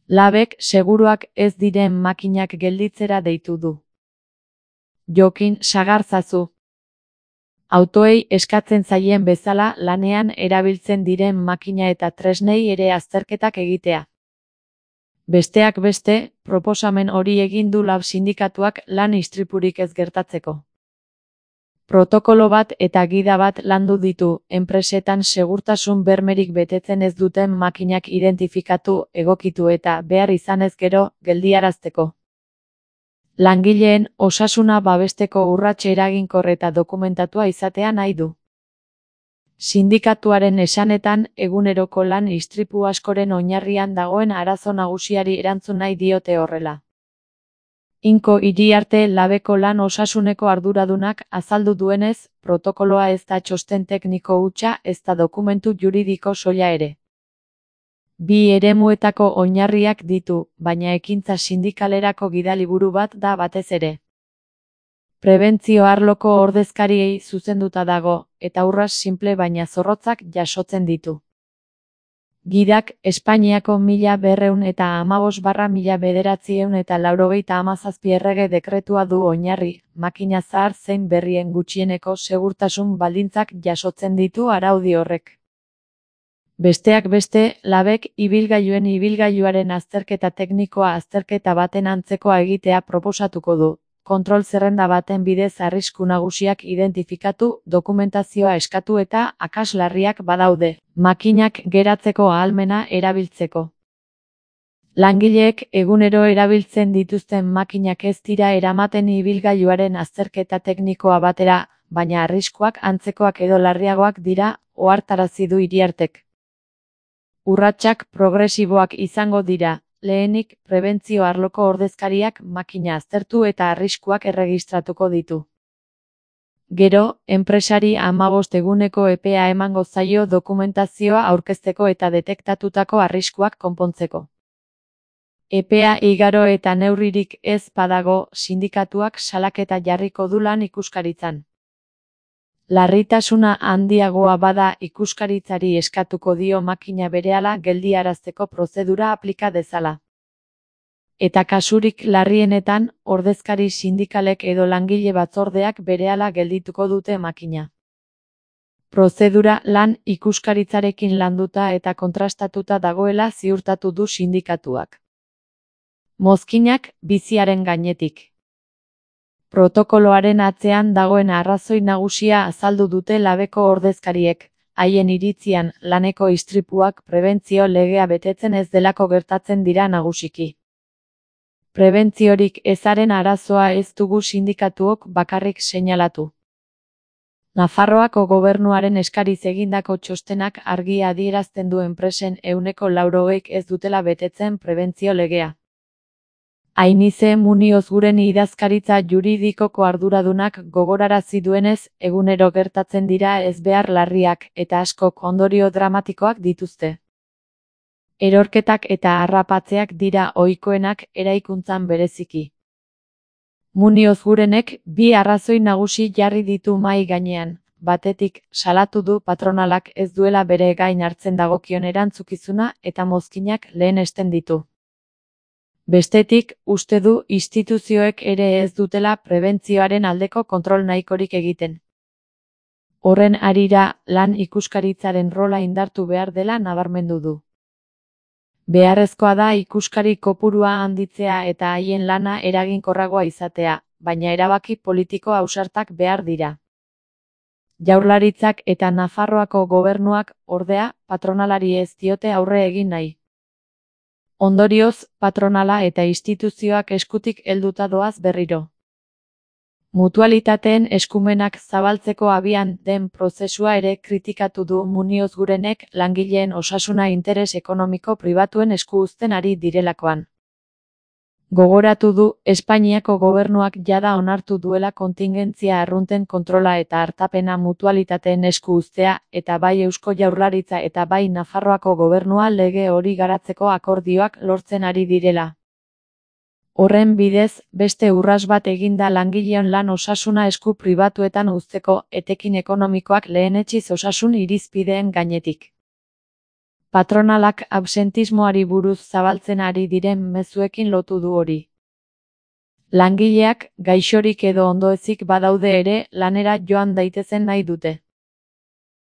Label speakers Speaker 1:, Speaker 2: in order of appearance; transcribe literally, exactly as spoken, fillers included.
Speaker 1: Labek seguruak ez diren makinak gelditzera deitu du. Jokin sagarzazu. Autoei eskatzen zaien bezala lanean erabiltzen diren makina eta tresnei ere azterketak egitea. Besteak beste, proposamen hori egin du Lab sindikatuak lan istripurik ez gertatzeko. Protokolo bat eta gida bat landu ditu, enpresetan segurtasun bermerik betetzen ez duten makinak identifikatu, egokitu eta behar izanez gero, geldiarazteko. Langileen osasuna babesteko urrats eraginkor eta dokumentatua izatea nahi du. Sindikatuaren esanetan, eguneroko lan istripu askoren oinarrian dagoen arazo nagusiari erantzun nahi diote horrela. Inko Iriarte Labeko lan osasuneko arduradunak azaldu duenez, protokoloa ez da txosten tekniko hutsa ez da dokumentu juridiko soila ere. Bi eremuetako oinarriak ditu, baina ekintza sindikalerako gidaliburu bat da batez ere. Prebentzio arloko ordezkariei zuzenduta dago, eta urras sinple baina zorrotzak jasotzen ditu. Gidak Espainiako mila berreun eta hamabost barra mila bederatziehun eta laurogeita hamazazpi errege dekretua du oinarri, makina zahar zein berrien gutxieneko segurtasun baldintzak jasotzen ditu araudi horrek. Besteak beste, Labek ibilgailuen ibilgailuaren azterketa teknikoa azterketa baten antzekoa egitea proposatuko du. Kontrol zerrenda baten bidez arrisku nagusiak identifikatu, dokumentazioa eskatu eta akats larriak badaude, makinak geratzeko ahalmena erabiltzeko. Langileek egunero erabiltzen dituzten makinak ez dira eramaten ibilgailuaren azterketa teknikoa batera, baina arriskuak antzekoak edo larriagoak dira, ohartarazi du Iriartek. Urratsak progresiboak izango dira. Lehenik, prebentzio arloko ordezkariak makina aztertu eta arriskuak erregistratuko ditu. Gero, enpresari hamabost eguneko epea emango zaio dokumentazioa aurkezteko eta detektatutako arriskuak konpontzeko. Epea igaro eta neurririk ez badago, sindikatuak salaketa jarriko du lan ikuskaritzan. Larritasuna handiagoa bada ikuskaritzari eskatuko dio makina berehala geldiarazteko prozedura aplika dezala. Eta kasurik larrienetan, ordezkari sindikalek edo langile batzordeak berehala geldituko dute makina. Prozedura lan ikuskaritzarekin landuta eta kontrastatuta dagoela ziurtatu du sindikatuak. Mozkinak biziaren gainetik. Protokoloaren atzean dagoen arrazoi nagusia azaldu dute Labeko ordezkariek, haien iritzian laneko istripuak prebentzio legea betetzen ez delako gertatzen dira nagusiki. Prebentziorik ezaren arazoa ez dugu sindikatuok bakarrik seinalatu. Nafarroako gobernuaren eskariz egindako txostenak argi adierazten du enpresen ehuneko laurogeik ez dutela betetzen prebentzio legea. Ainize Muniozguren idazkaritza juridikoko arduradunak gogorarazi duenez, egunero gertatzen dira ezbehar larriak eta askok ondorio dramatikoak dituzte. Erorketak eta harrapatzeak dira ohikoenak eraikuntzan bereziki. Muniozgurenek bi arrazoi nagusi jarri ditu mahai gainean, batetik salatu du patronalak ez duela bere gain hartzen dagokion erantzukizuna eta mozkinak lehenesten ditu. Bestetik, uste du instituzioek ere ez dutela prebentzioaren aldeko kontrol nahikorik egiten. Horren harira, lan ikuskaritzaren rola indartu behar dela nabarmendu du. Beharrezkoa da ikuskari kopurua handitzea eta haien lana eraginkorragoa izatea, baina erabaki politiko ausartak behar dira. Jaurlaritzak eta Nafarroako gobernuak, ordea, patronalari ez diote aurre egin nahi. Ondorioz, patronala eta instituzioak eskutik helduta doaz berriro. Mutualitateen eskumenak zabaltzeko abian den prozesua ere kritikatu du Muniozgurenek langileen osasuna interes ekonomiko pribatuen esku uzten ari direlakoan. Gogoratu du, Espainiako gobernuak jada onartu duela kontingentzia arrunten kontrola eta hartapena mutualitateen esku uztea, eta bai Eusko Jaurlaritza eta bai Nafarroako gobernua lege hori garatzeko akordioak lortzen ari direla. Horren bidez, beste urras bat eginda langileon lan osasuna esku pribatuetan uzteko etekin ekonomikoak lehenetsiz osasun irizpideen gainetik. Patronalak absentismoari buruz zabaltzen ari diren mezuekin lotu du hori. Langileak, gaixorik edo ondoezik badaude ere, lanera joan daitezen nahi dute.